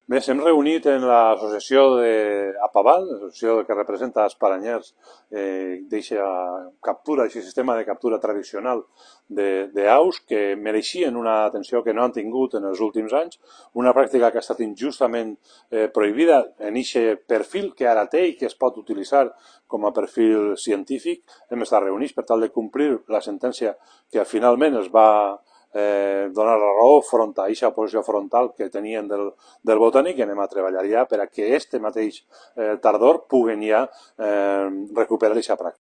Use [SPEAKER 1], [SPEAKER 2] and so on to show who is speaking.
[SPEAKER 1] Bé, s'hem reunit en l'associació d'Apaval, l'associació que representa els paranyers d'eixa captura, aquest sistema de captura tradicional d'aus que mereixien una atenció que no han tingut en els últims anys, una pràctica que ha estat injustament prohibida en aquest perfil que ara té i que es pot utilitzar com a perfil científic. Hem estat reunits per tal de complir la sentència que finalment es va donar la raó front a aquesta posició frontal que tenien del botànic i anem a treballar ja per a que este mateix tardor puguen ja recuperar aquesta pràctica.